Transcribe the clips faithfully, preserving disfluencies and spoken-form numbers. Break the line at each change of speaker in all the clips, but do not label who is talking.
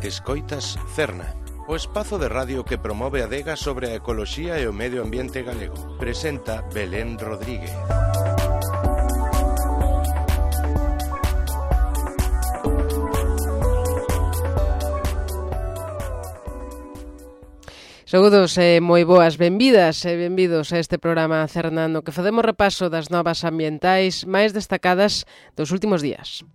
Escoitas Cerna, o espazo de radio que promove a adega sobre a ecoloxía e o medio ambiente galego. Presenta Belén Rodríguez.
Saúdos e moi boas, benvidas e benvidos a este programa Cerna no que facemos repaso das novas ambientais máis destacadas dos últimos días.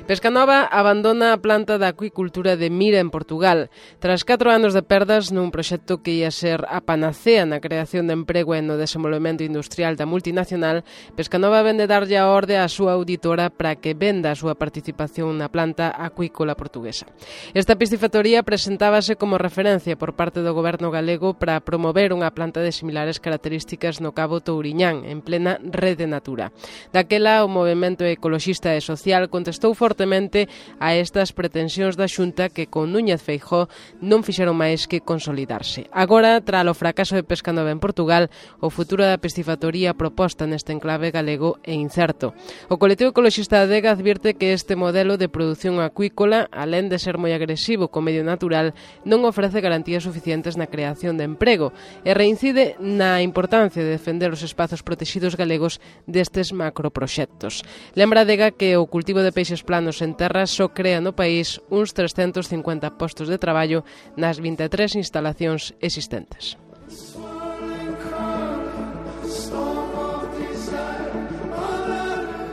Pescanova abandona a planta da acuicultura de Mira en Portugal. Tras catro anos de perdas nun proxecto que ia ser a panacea na creación de emprego e no desenvolvemento industrial da multinacional, Pescanova vende darlle a orde á súa auditora para que venda a súa participación na planta acuícola portuguesa. Esta piscifactoría presentábase como referencia por parte do goberno galego para promover unha planta de similares características no Cabo Touriñán, en plena rede Natura. Daquela, o movemento ecoloxista e social contestou forte a estas pretensións da Xunta que con Núñez Feijóo non fixeron máis que consolidarse. Agora, tras o fracaso de Pescanova en Portugal, o futuro da piscifactoría proposta neste enclave galego é incerto. O colectivo ecoloxista Adega advirte que este modelo de produción acuícola, alén de ser moi agresivo co medio natural, non ofrece garantías suficientes na creación de emprego e reincide na importancia de defender os espazos protexidos galegos destes macroproxectos. Lembra Adega que o cultivo de peixes planos en terra só crea no país uns trescentos cincuenta postos de traballo nas vinte e tres instalacións existentes.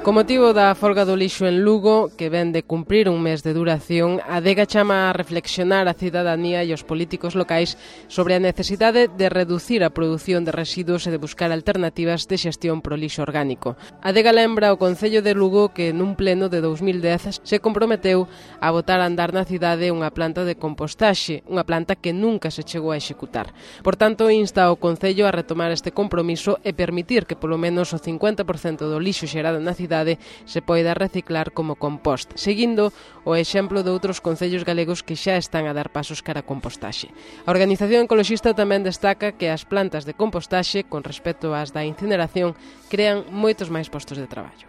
Con motivo da folga do lixo en Lugo, que ven de cumprir un mes de duración, a Adega chama a reflexionar a cidadanía e os políticos locais sobre a necesidade de reducir a produción de residuos e de buscar alternativas de xestión pro lixo orgánico. A Adega lembra o Concello de Lugo que nun pleno de dous mil dez se comprometeu a botar a andar na cidade unha planta de compostaxe, unha planta que nunca se chegou a executar. Por tanto, insta ao Concello a retomar este compromiso e permitir que polo menos o cincuenta por cento do lixo xerado na cidade se poida reciclar como compost, seguindo o exemplo de outros concellos galegos que xa están a dar pasos cara a compostaxe. A organización ecoloxista tamén destaca que as plantas de compostaxe, con respecto ás da incineración, crean moitos máis postos de traballo.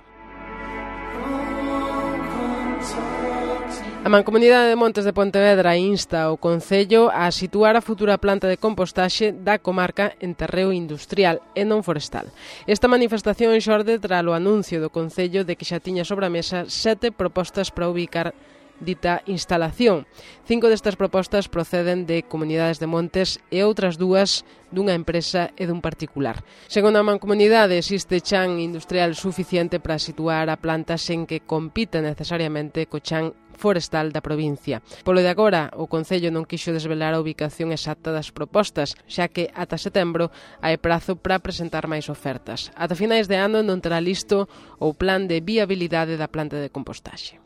A Mancomunidade de Montes de Pontevedra insta o Concello a situar a futura planta de compostaxe da comarca en terreo industrial e non forestal. Esta manifestación xorde tras o anuncio do Concello de que xa tiña sobre a mesa sete propostas para ubicar dita instalación. Cinco destas propostas proceden de comunidades de montes e outras dúas dunha empresa e dun particular. Segundo a Mancomunidade, existe chan industrial suficiente para situar a planta sen que compita necesariamente co chan forestal da provincia. Polo de agora, o Concello non quixo desvelar a ubicación exacta das propostas, xa que ata setembro hai prazo para presentar máis ofertas. Ata finais de ano non terá listo o plan de viabilidade da planta de compostaxe.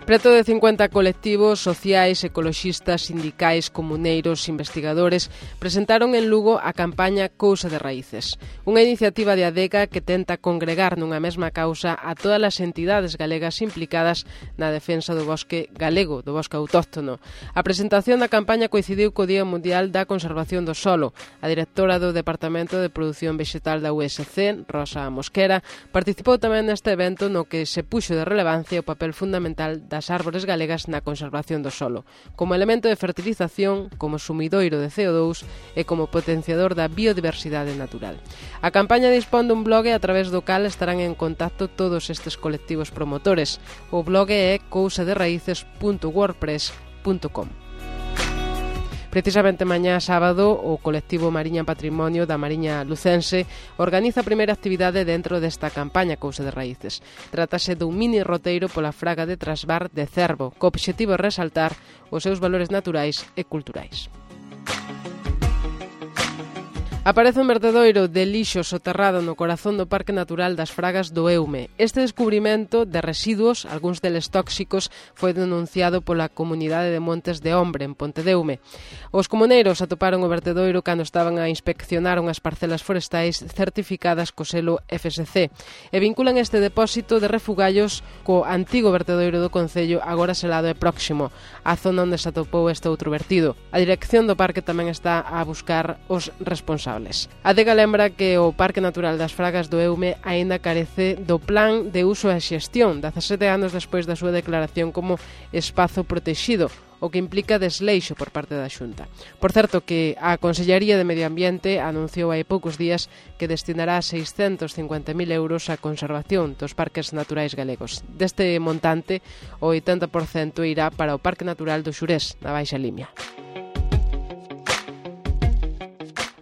Preto de cincuenta colectivos sociais, ecoloxistas, sindicais, comuneiros, investigadores presentaron en Lugo a campaña Cousa de Raíces, unha iniciativa de Adega que tenta congregar nunha mesma causa a todas as entidades galegas implicadas na defensa do bosque galego, do bosque autóctono. A presentación da campaña coincidiu co Día Mundial da Conservación do Solo. A directora do Departamento de Produción Vexetal da U S C, Rosa Mosquera, participou tamén neste evento no que se puxo de relevancia o papel fundamental das árbores galegas na conservación do solo, como elemento de fertilización, como sumidoiro de C O dous e como potenciador da biodiversidade natural. A campaña dispón dun blog a través do cal estarán en contacto todos estes colectivos promotores. O blog é cousa de raíces punto wordpress punto com. Precisamente mañá sábado, o colectivo Mariña Patrimonio da Mariña Lucense organiza a primeira actividade dentro desta campaña Cousa de Raíces. Trátase dun mini roteiro pola fraga de Trasbar de Cervo, co obxectivo de resaltar os seus valores naturais e culturais. Aparece un vertedoiro de lixo soterrado no corazón do Parque Natural das Fragas do Eume. Este descubrimento de residuos, algúns deles tóxicos, foi denunciado pola comunidade de Montes de Hombre, en Ponte de Eume. Os comuneiros atoparon o vertedoiro cando estaban a inspeccionar unhas parcelas forestais certificadas co selo F S C e vinculan este depósito de refugallos co antigo vertedoiro do Concello, agora selado e próximo, a zona onde se atopou este outro vertido. A dirección do parque tamén está a buscar os responsables. responsables. A Adega lembra que o Parque Natural das Fragas do Eume aínda carece do plan de uso e xestión, dezasete anos despois da súa declaración como espazo protexido, o que implica desleixo por parte da Xunta. Por certo, que a Consellería de Medio Ambiente anunciou hai poucos días que destinará seiscentos cincuenta mil euros á conservación dos parques naturais galegos. Deste montante, o oitenta por cento irá para o Parque Natural do Xurés, na Baixa Limia.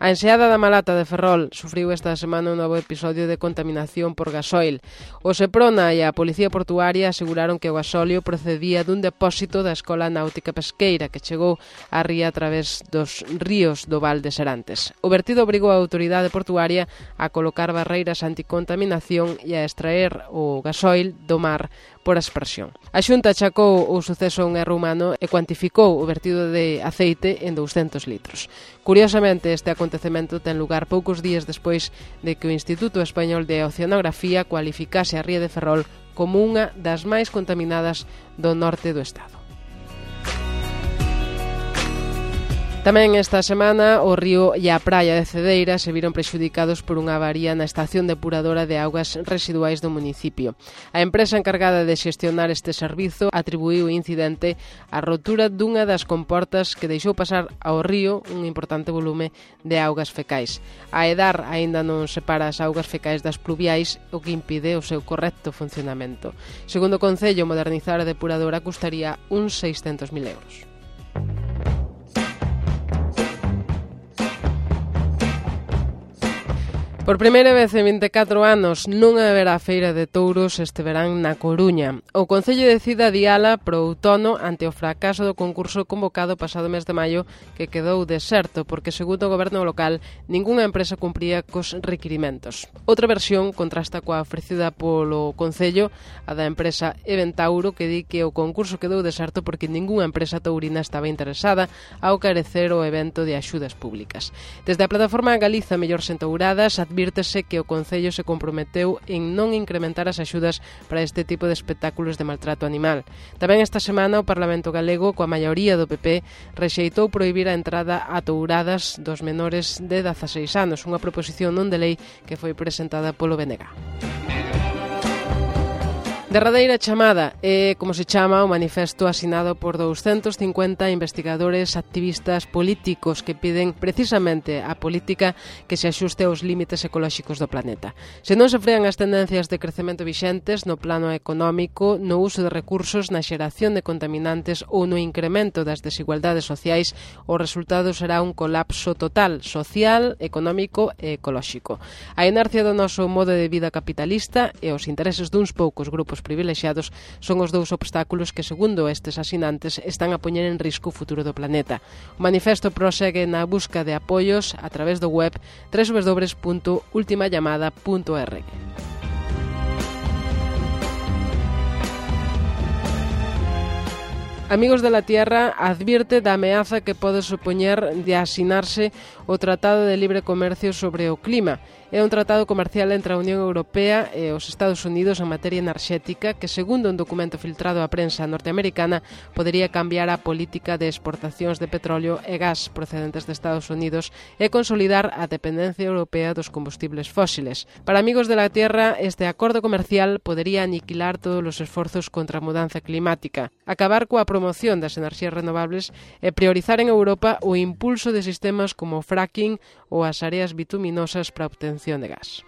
A enseada da Malata de Ferrol sufriu esta semana un novo episodio de contaminación por gasoil. O Seprona e a Policía Portuaria aseguraron que o gasóleo procedía dun depósito da Escola Náutica Pesqueira que chegou á ría a través dos ríos do Val de Serantes. O vertido obrigou a autoridade portuaria a colocar barreiras anticontaminación e a extraer o gasóil do mar por aspersión. A Xunta achacou o suceso a un erro humano e cuantificou o vertido de aceite en douscentos litros. Curiosamente, este acontecemento ten lugar poucos días despois de que o Instituto Español de Oceanografía cualificase a ría de Ferrol como unha das máis contaminadas do norte do estado. Tamén esta semana o río e a praia de Cedeira se viron prexudicados por unha avaría na estación depuradora de augas residuais do municipio. A empresa encargada de xestionar este servizo atribuíu o incidente á rotura dunha das comportas que deixou pasar ao río un importante volume de augas fecais. A EDAR aínda non separa as augas fecais das pluviais, o que impide o seu correcto funcionamento. Segundo o Concello, modernizar a depuradora custaría uns seiscentos mil euros. Por primeira vez en vinte e catro anos non haberá feira de touros este verán na Coruña. O Concello decide adiala pro outono ante o fracaso do concurso convocado pasado mes de maio que quedou deserto porque, segundo o goberno local, ningunha empresa cumpría cos requirimentos. Outra versión contrasta coa ofrecida polo Concello, a da empresa Eventauro, que di que o concurso quedou deserto porque ningunha empresa taurina estaba interesada ao carecer o evento de axudas públicas. Desde a plataforma Galiza Mellor Sentauradas advírtese que o Concello se comprometeu en non incrementar as axudas para este tipo de espectáculos de maltrato animal. Tamén esta semana o Parlamento Galego, coa maioría do P P, rexeitou prohibir a entrada a touradas dos menores de dezaseis anos, unha proposición non de lei que foi presentada polo B N G. Derradeira chamada é como se chama o manifesto asinado por douscentos cincuenta investigadores, activistas, políticos que piden precisamente a política que se axuste aos límites ecolóxicos do planeta. Se non se frean as tendencias de crecemento vixentes no plano económico, no uso de recursos, na xeración de contaminantes ou no incremento das desigualdades sociais, o resultado será un colapso total, social, económico e ecolóxico. A inercia do noso modo de vida capitalista e os intereses duns poucos grupos privilexiados son os dous obstáculos que, segundo estes asinantes, están a poñer en risco o futuro do planeta. O manifesto prosegue na busca de apoios a través do web doble u doble u doble u punto última llamada punto org. Amigos de la Tierra advierte da ameaza que pode supoñer de asinarse o Tratado de Libre Comercio sobre o Clima. É un tratado comercial entre a Unión Europea e os Estados Unidos en materia enerxética que, segundo un documento filtrado á prensa norteamericana, podería cambiar a política de exportacións de petróleo e gas procedentes de Estados Unidos e consolidar a dependencia europea dos combustibles fósiles. Para Amigos de la Tierra, este acordo comercial podería aniquilar todos os esforzos contra a mudanza climática, acabar coa promoción das enerxías renovables e priorizar en Europa o impulso de sistemas como o fracking ou as áreas bituminosas para a obtención de gas.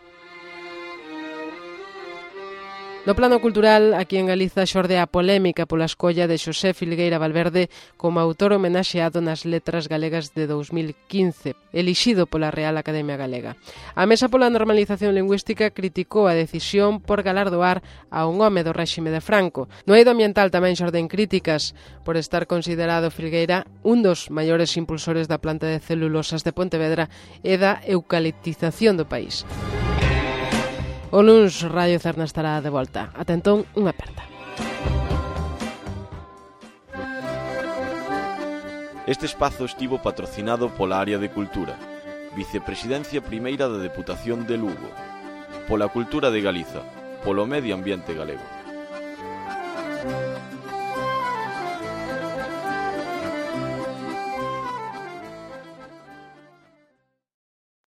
No plano cultural, aquí en Galiza xorde a polémica pola escolla de Xosé Filgueira Valverde como autor homenaxeado nas letras galegas de dous mil quince, elixido pola Real Academia Galega. A Mesa pola Normalización Lingüística criticou a decisión por galardoar a un home do réxime de Franco. No eido ambiental tamén xorden críticas por estar considerado Filgueira un dos maiores impulsores da planta de celulosas de Pontevedra e da eucaliptización do país. O luns Radio Cerna estará de volta. Ata entón, unha aperta.
Este espazo estivo patrocinado pola Área de Cultura, Vicepresidencia Primeira da Deputación de Lugo, pola Cultura de Galiza, polo Medio Ambiente Galego.